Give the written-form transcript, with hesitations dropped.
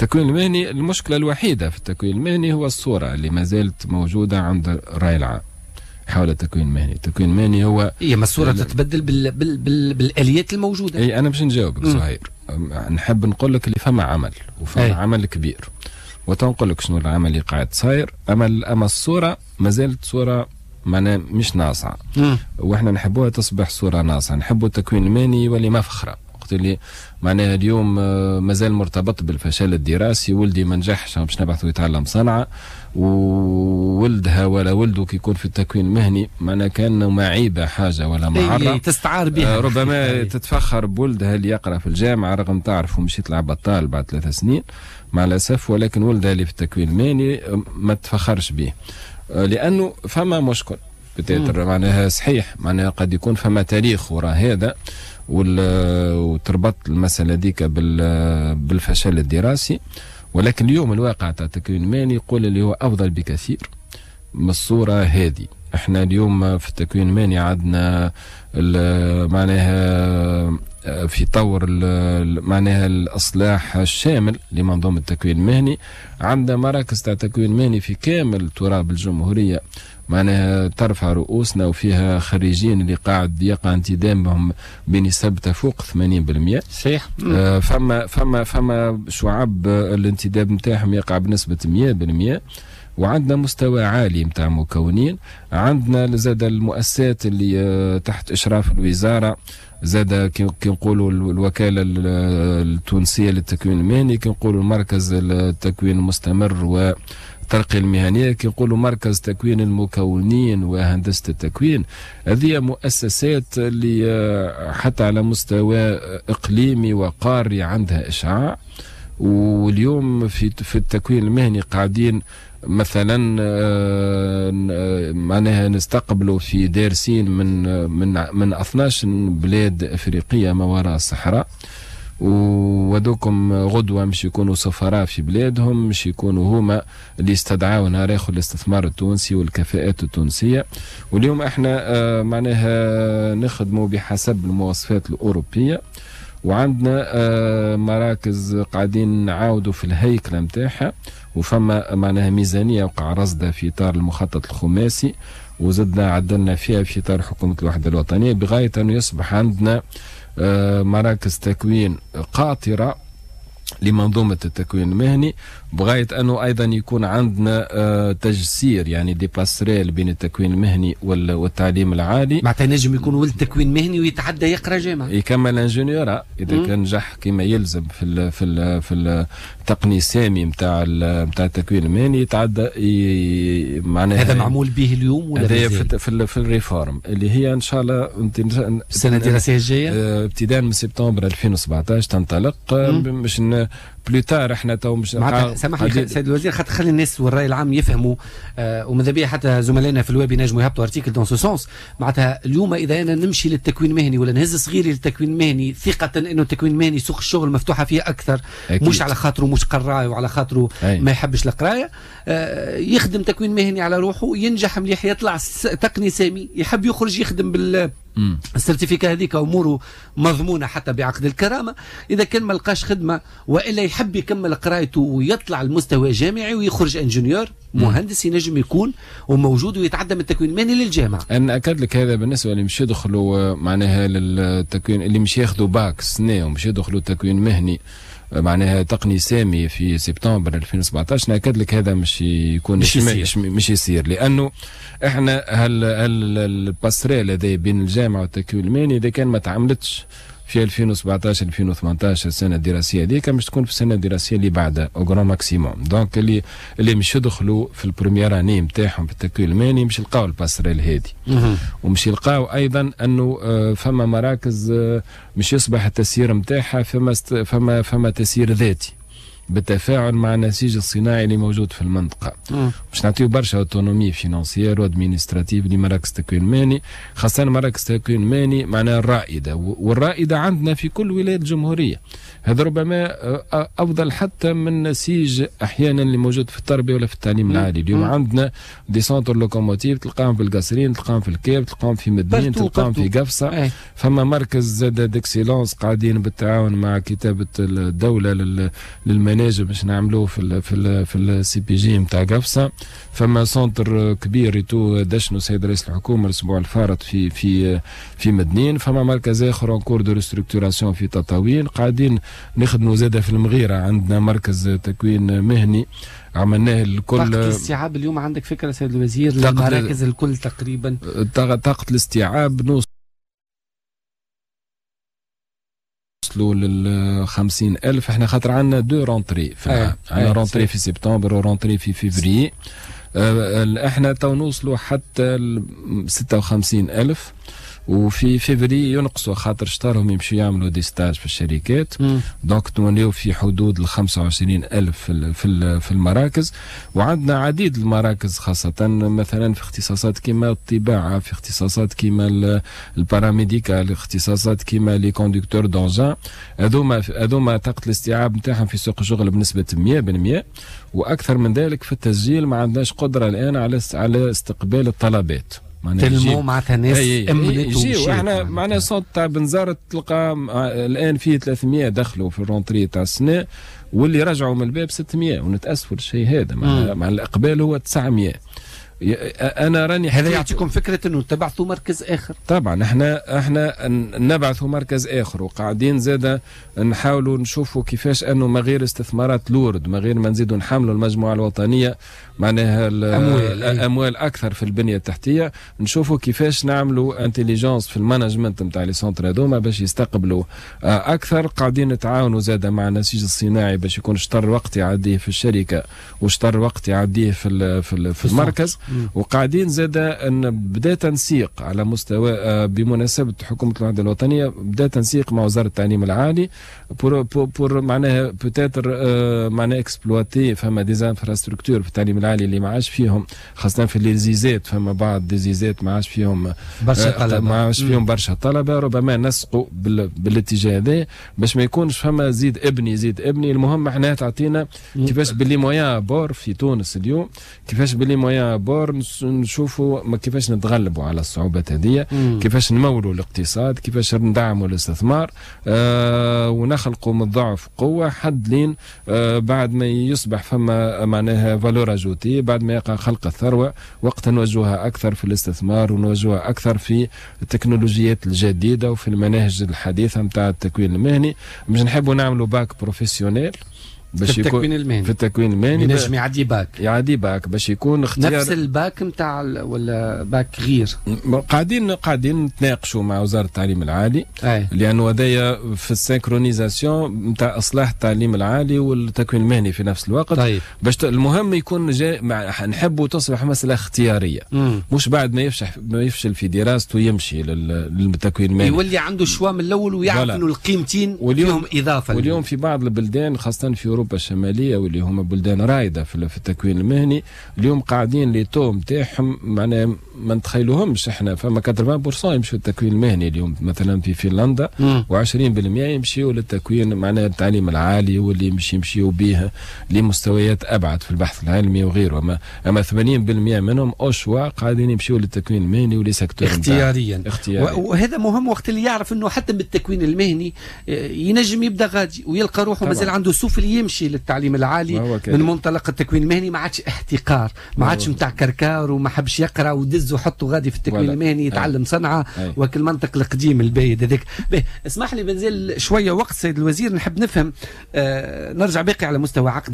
التكوين المهني، المشكلة الوحيدة في التكوين المهني هو الصورة اللي ما زالت موجودة عند الراي العام حول التكوين المهني. التكوين المهني هو هي ما الصورة تتبدل بالاليات الموجوده. اي، انا باش نجاوبك زهير، نحب نقول لك اللي فما عمل وفما عمل كبير، وتنقول لك شنو العمل اللي قاعد صاير. اما الصورة ما زالت صوره معناها مش ناصعه، واحنا نحبوها تصبح صوره ناصعه. نحبوا التكوين المهني يولي مفخره. وقت اللي معناها اليوم مازال مرتبط بالفشل الدراسي، ولدي ما نجحش باش نبعثه يتعلم صنعه، وولدها ولا ولده كي يكون في التكوين المهني معناها كان معيبة حاجة ولا معره. تستعار بها. ربما تتفخر بولدها اللي يقرا في الجامعه، رغم تعرف مش يطلع بطال بعد 3 سنين مع الاسف، ولكن ولدها اللي في التكوين المهني ما تفخرش به، لانه فما مشكل peut-être. معناها صحيح، معناها قد يكون فما تاريخ وراء هذا وتربط المسألة ديك بالفشل الدراسي، ولكن اليوم الواقع تاع التكوين المهني يقول اللي هو أفضل بكثير من الصورة هذه. احنا اليوم في التكوين المهني عندنا معناها في طور معناها الاصلاح الشامل لمنظومه التكوين المهني. عندنا مراكز تاع تكوين مهني في كامل تراب الجمهوريه، معناها ترفع رؤوسنا، وفيها خريجين اللي قاعد يقع انتدابهم بنسب تفوق 80%. فما شعب الانتداب نتاعهم يقع بنسبة 100%، وعندنا مستوى عالي نتاع مكونين. عندنا زاد المؤسسات اللي تحت اشراف الوزاره، زاد كي نقولوا الوكالة التونسية للتكوين المهني، كي نقولوا المركز التكوين المستمر والترقيه المهنيه، كي نقولوا مركز تكوين المكونين وهندسة التكوين، هذه مؤسسات اللي حتى على مستوى اقليمي وقاري عندها اشعاع. واليوم في التكوين المهني قاعدين مثلا معناها نستقبلوا في دارسين من 12 بلاد افريقية ما وراء الصحراء، وذوكم غدوه مش يكونوا سفراء في بلادهم، مش يكونوا هما اللي يستدعوا نهار اخر الاستثمار التونسي والكفاءات التونسيه. واليوم احنا معناها نخدموا بحسب المواصفات الاوروبيه، وعندنا مراكز قاعدين نعاودوا في الهيكله نتاعها، وفما معناها ميزانية وقع رصدها في اطار المخطط الخماسي، وزدنا عدلنا فيها في اطار حكومة الوحدة الوطنيه، بغاية انه يصبح عندنا مراكز تكوين قاطره لمنظومة التكوين المهني، بغاية أنه أيضا يكون عندنا تجسير، يعني des passerelles بين التكوين المهني والتعليم العالي. معناتها نجم يكون ولد تكوين مهني ويتعدى يقرا جامعة. يكمل ingéniorat إذا كان نجح كما يلزم في التقني السامي نتاع التكوين المهني، يتعدى معناها. هذا معمول به اليوم ولا هذا في ال réforme اللي هي ان شاء الله السنة الدراسية الجايه. ابتداء من سبتمبر 2017 تنطلق، باش plus tard احنا تو مش معناتها سامحني سيد الوزير، خاطر خلي الناس والراي العام يفهموا، وماذا بيا حتى زملائنا في الويب ينجموا يهبطوا article dans ce sens. معناتها اليوم اذا انا نمشي للتكوين المهني ولا نهز صغيري للتكوين المهني ثقة انه التكوين المهني سوق الشغل مفتوحة فيه اكثر، مش على خاطره مش قراي وعلى خاطره ما يحبش القرايه، يخدم تكوين مهني على روحه، ينجح مليح، يطلع تقني سامي، يحب يخرج يخدم بال ال certificat هذيك، اموره مضمونه حتى بعقد الكرامه. اذا كان ما لقاش خدمة والا يحب يكمل قرايته ويطلع المستوى جامعي ويخرج ingénieur مهندس، ينجم يكون وموجود ويتعدى من التكوين المهني للجامعه. انا اكد لك هذا بالنسبة اللي مش يدخلوا معناها للتكوين، اللي مش ياخذوا باك سنة ومش يدخلوا تكوين مهني معناها تقني سامي في سبتمبر 2017، ناكد لك هذا مش يكون مش يصير، لانه احنا هل ال passerelle هذا بين الجامعة والتكوين المهني اذا كان ما تعملتش في 2017 2018، السنة الدراسية هذيك، مش تكون في السنة الدراسية اللي بعدها au grand maximum. donc اللي مش يدخلوا في ال première année نتاعهم في التكوين المهني مش يلقاو ال passerelle هذه، ومش يلقاو ايضا انه فما مراكز مش يصبح التسيير نتاعها فما تسيير ذاتي بالتفاعل مع النسيج الصناعي اللي موجود في المنطقة. باش نعطيو برشا autonomie financière و administrative لمراكز التكوين المهني، خاصة مراكز التكوين المهني معناها الرائدة، والرائدة عندنا في كل ولاية الجمهورية. هذا ربما أفضل حتى من نسيج أحيانا اللي موجود في التربية ولا في التعليم العالي. اليوم عندنا des centres locomotives، تلقاهم في القصرين، تلقاهم في الكاف، تلقاهم في مدنين، تلقاهم في قفصة. فما مركز زاد d'excellence قاعدين بالتعاون مع كتابة الدولة للمناهج. المناجم باش نعملوه في ال CPG نتاع قفصه. فما centre كبير ريتو دشنو سيد رئيس الحكومة الاسبوع الفارط في مدنين. فما مركز اخر en cours de structuration في تطاوين. قاعدين نخدموا زاده في المغيره، عندنا مركز تكوين مهني عملناه الكل. طاقة الاستيعاب اليوم عندك فكرة سيد الوزير للمراكز الكل تقريبا؟ طاقة الاستيعاب نوصلوا لل 50,000. احنا خاطر عندنا deux rentrées في العام، عندنا rentrée في سبتمبر و rentrée في فيفري. احنا تو نوصلوا حتى 56,000، وفي فيفري ينقصوا خاطر شطارهم يمشوا يعملوا des stages في الشركات. donc نوليو في حدود ال 25,000 في المراكز. وعندنا عديد المراكز، خاصة مثلا في اختصاصات كيما الطباعة، في اختصاصات كيما ال paramédical، اختصاصات كيما les conducteurs d'engins. هذوما طاقة الاستيعاب نتاعهم في سوق الشغل بنسبة 100%، واكثر من ذلك في التسجيل ما عندناش قدرة الآن على استقبال الطلبات. تلمو معناتها ناس امنت ومشيت. احنا معناها centre تاع بنزرت تلقى الان فيه 300 دخلوا في ال rentrée تاع السنة، واللي رجعوا من الباب 600، ونتاسفوا للشيء هذا. مع الاقبال هو 900. انا راني هذا يعطيكم فكرة انه تبعثوا مركز اخر. طبعا احنا نبعثوا مركز اخر، وقاعدين زاده نحاولوا نشوفوا كيفاش انه ما غير استثمارات lourdes، ما غير ما نزيدوا نحملوا المجموعة الوطنية معناها اموال اكثر في البنية التحتية، نشوفوا كيفاش نعملوا intelligence في ال management نتاع les centres هذوما باش يستقبلوا اكثر. قاعدين نتعاونوا زاده مع النسيج الصناعي باش يكون شطر وقت يعديه في الشركة وشطر وقت يعديه في المركز. وقاعدين زاده ان بدا تنسيق على مستوى بمناسبة حكومة الوحدة الوطنية، بدا تنسيق مع وزارة التعليم العالي pour معناها peut-être معناها exploiter فما des infrastructures في التعليم العالي اللي ما عادش فيهم، خاصة في les ISET، فما بعض des ISET ما عادش فيهم برشا طلبه، ما عادش فيهم برشا طلبه. ربما نسقوا بالاتجاه هذا باش ما يكونش فما زيد ابني زيد ابني. المهم احنا تعطينا كيفاش ب les moyens à bord في تونس اليوم، كيفاش ب les moyens à bord نشوفوا كيفاش نتغلبوا على الصعوبات هذه، كيفاش نمولوا الاقتصاد، كيفاش ندعموا الاستثمار، ونخلقوا من الضعف قوة حد لين بعد ما يصبح فما معناها valeur ajoutée، بعد ما يقع خلق الثروة وقت نوجهها أكثر في الاستثمار ونوجهها أكثر في التكنولوجيات الجديدة وفي المناهج الحديثة نتاع التكوين المهني. باش نحبوا نعملوا bac professionnel باش في التكوين المهني، في التكوين المهني ينجم يعدي باك، يعدي باك باش يكون اختيار نفس الباك نتاع ولا باك غير. قاعدين نتناقشوا مع وزارة التعليم العالي، لانه هذايا في ال synchronisation نتاع اصلاح التعليم العالي والتكوين المهني في نفس الوقت. طيب. باش المهم يكون نحبوا تصبح مسالة اختيارية، مش بعد ما يفشل في دراسته يمشي للتكوين المهني، يولي عنده choix من الاول ويعرف انه القيمتين فيهم اضافه. واليوم في بعض البلدان خاصة في أوروبا الشمالية واللي هما بلدان رائدة في التكوين المهني، اليوم قاعدين les taux نتاعهم معناها ما نتخيلوهمش احنا، فما 80% يمشوا للتكوين المهني اليوم مثلا في فنلندا، و20% يمشيوا للتكوين معناها التعليم العالي واللي يمشيوا به لمستويات أبعد في البحث العلمي وغيره. أما 80% منهم au choix قاعدين يمشيوا للتكوين المهني و les secteurs اختياريا. وهذا مهم وقت اللي يعرف انه حتى بالتكوين المهني ينجم يبدا غادي ويلقى روحه مازال عنده سفل يمشي للتعليم العالي من منطلق التكوين المهني، ما عادش احتقار، ما عادش نتاع كركار وما حبش يقرا ودز وحطه غادي في التكوين المهني يتعلم صنعه وكل المنطق القديم البايد هذاك. اسمح لي بنزل شوية وقت سيد الوزير، نحب نفهم نرجع باقي على مستوى عقد